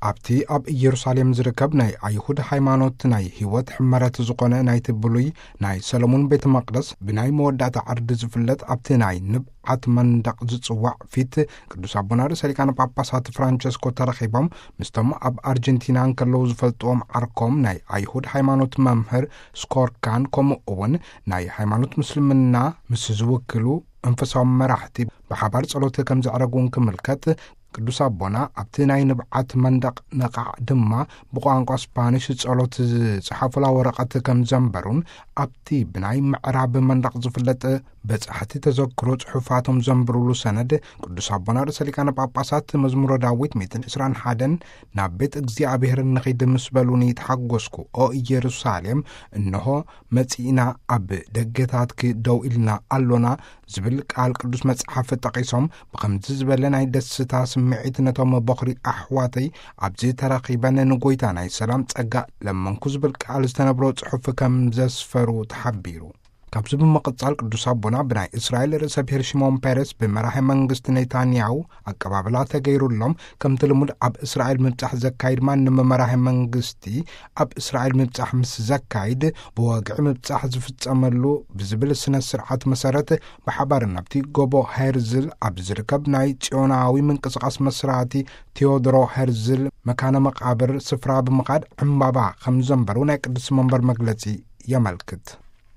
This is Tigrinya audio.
ኣብቲ ኣብ ኢየሩሳሌም ዝርከብ ናይ ኣይሁድ ሃይማኖት ናይ ህይወት ሕመረት ዝኾነ ናይቲ ብሉይ ናይ ሰሎሞን ቤተ መቕደስ ብናይ መወዳእታ ዓርዲ ዝፍለጥ ኣብቲ ናይ ንብዓት መንደቕ ዝጽዋዕ ፊት ቅዱስ ኣቦና ርእሰ ሊቃነ ጳጳሳት ፍራንቸስኮ ተረኺቦም ምስቶም ኣብ ኣርጀንቲና እንከለዉ ዝፈልጥዎም ዓርኮም ናይ ኣይሁድ ሃይማኖት መምህር ስኮርካን ከምኡ እውን ናይ ሃይማኖት ምስልምና ምስ ዝውክሉ መንፈሳዊ መራሕቲ ብሓባር ጸሎት ከም ዘዕረጉን ክምልከት ቅዱስ ኣቦና ኣብቲ ናይ ንብዓት መንደቕ ነቓዕ ድማ ብቋንቋ ስፓኒሽ ጸሎት ዝጸሓፉላ ወረቐት ከም ዘንበሩን ኣብቲ ብናይ ምዕራብ መንደቕ ዝፍለጥ በጻሕቲ ተዘክሮ ጽሑፋቶም ዘንብሩሉ ሰነድ ቅዱስ ኣቦና ርእሰ ሊቃነ ጳጳሳት መዝሙረ ዳዊት ሚእትን ዕስራን ሓደን ናብ ቤት እግዚኣብሔር ንኺድ ምስ በሉኒ ተሓጎስኩ። ኦ ኢየሩሳሌም፣ እንሆ መጺእና፣ ኣብ ደገታትኪ ደው ኢልና ኣሎና ዝብል ቃል ቅዱስ መጽሓፍ ጠቒሶም ብኸምዚ ዝበለ ናይ ደስታ ስምዒት ነቶም በኹሪ ኣሕዋተይ ኣብዚ ተረኺበን ንጎይታ ናይ ሰላም ጸጋ ለመንኩ ዝብል ቃል ዝተነብሮ ጽሑፍ ከም ዘስፈሩ ተሓቢሩ። ካብዚ ብምቕጻል ቅዱስ ኣቦና ብናይ እስራኤል ርእሰ ብሔር ሽሞን ፔሬስ ብመራሒ መንግስቲ ኔታንያሁ ኣቀባብላ ተገይሩሎም፣ ከምቲ ልሙድ ኣብ እስራኤል ምብጻሕ ዘካይድ ማንም መራሒ መንግስቲ ኣብ እስራኤል ምብጻሕ ምስ ዘካይድ ብወግዒ ምብጻሕ ዝፍጸመሉ ብዝብል ስነ ስርዓት መሰረት ብሓባር ናብቲ ጎቦ ሄርዝል ኣብ ዝርከብ ናይ ጽዮናዊ ምንቅስቃስ መስራቲ ቴዎድሮ ሄርዝል መካነ መቃብር ስፍራ ብምኻድ ዕምባባ ከም ዘንበሩ ናይ ቅዱስ መንበር መግለጺ የመልክት።